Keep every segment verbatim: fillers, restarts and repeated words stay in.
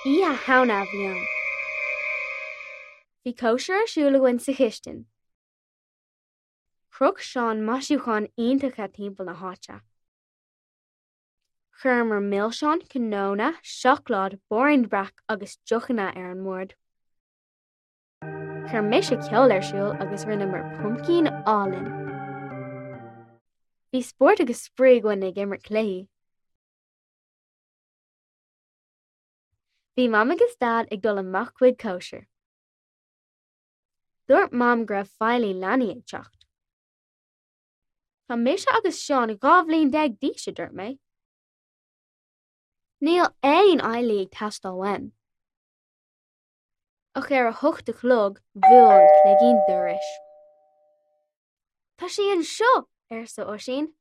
Oíche Shamhna a bhí ann. Bhí cóisir ar siúl againn sa chistin. Chroch Seán maisiúcháin iontacha timpeall na háite. Chuireamar milseáin, cnónna, seacláid, Báirín Breac agus deochanna ar an mbord. Chuir mise ceol ar siúl agus rinneamar puimcín álainn. Bhí spórt agus spraoi againn ag imirt cluichí. Bhí Mam agus Dad ag dul amach chuig cóisir. Dúirt Mam go raibh feighlí leanaí ag teacht. Tá mise agus Seán dhá bhliain déag d'aois a dúirt mé. Níl aon fheighlí ag teastáil uaim. Ach ar a hocht a chlog bhuail an cloigín dorais. Tá sí anseo, arsa Oisín.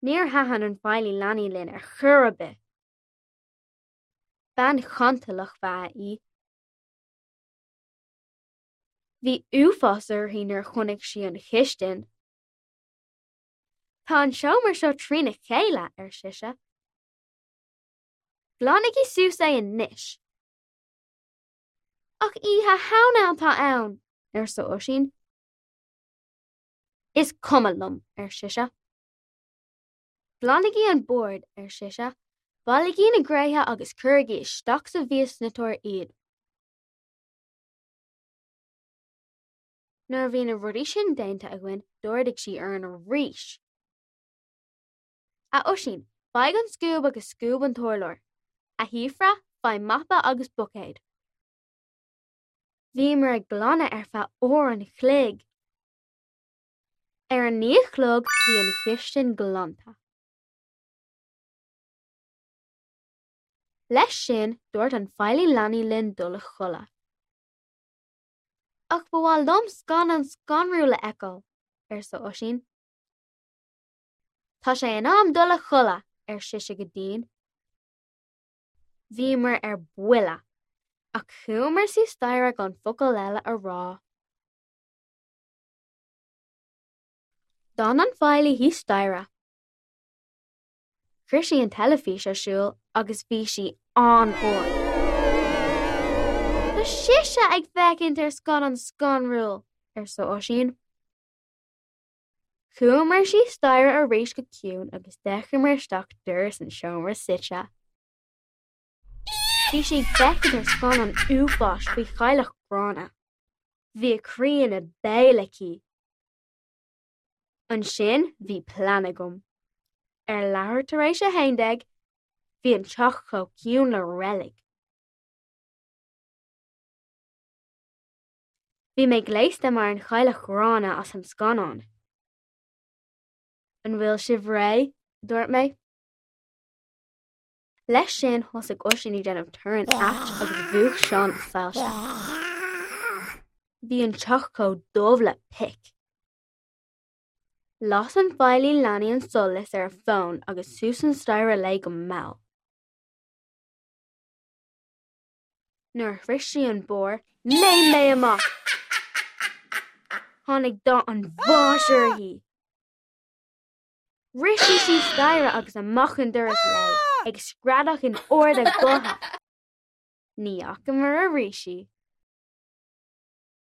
Níor thaitin an feighlí leanaí linn ar chor ar bith. Bean chantalach ba ea í. Bhí uafás uirthi nuair a chonaic sí an chistin. Tá an seomra seo trína chéile, ar sise. Glanaigí suas é anois. Ach Oíche Shamhna atá ann, arsa Oisín. Is cuma liom, ar sise. Glanaigí an bord, ar sise, Bailígí na gréithe agus cuirigí isteach sa mhiasniteoir iad. Nuair a bhí na rudaí sin déanta againn, d'ordaigh sí orainn arís. A Oisín, faigh an scuab agus scuab an t-urlár. A Shíofra, faigh mapa agus buicéad. Bhíomar ag glanadh ar feadh uair an chloig. Ar a naoi a chlog bhí an chistin glanta. Leis sin, dúirt an feighlí leanaí linn dul a chodladh. Ach ba mhaith liom scannán scanrúil a fheiceáil, arsa Oisín. Tá sé in am dul a chodladh, ar sise go dian. Bhíomar ar buile, ach chuamar suas staighre gan focal eile a rá. D'fhan an feighlí thíos staighre. Chuir sí an teilifís ar siúl agus bhí sí an-ard. Tá sise ag féachaint ar scannán scanrúil, arsa Oisín. Chuamar síos staighre arís go ciúin agus d'fhéachamar isteach doras an seomra suite. Bhí sí ag féachaint ar scannán uafáis faoi chailleach ghránna. Bhí a croí ina béal aici. Ansin bhí plean agam. Ar leathuair tar éis a haon déag, bhí an teach chomh ciúin le reilig. Bhí mé gléasta mar an chailleach ghránna as an scannán. An bhfuil sibh réidh? a dúirt mé. Leis sin thosaigh Oisín ag déanamh torann ait agus mhúch Seán a soilse. Bhí an teach chomh dubh le pic. Las an feighlí leanaí an solas ar a fón agus suas an staighre léi go mall. Nuair a shroich sí an barr, léim mé amach. Tháinig dath an bháis uirthi. Rith sí síos staighre agus amach an doras léi, ag screadach in ard a gutha. Ní fhacamar arís í.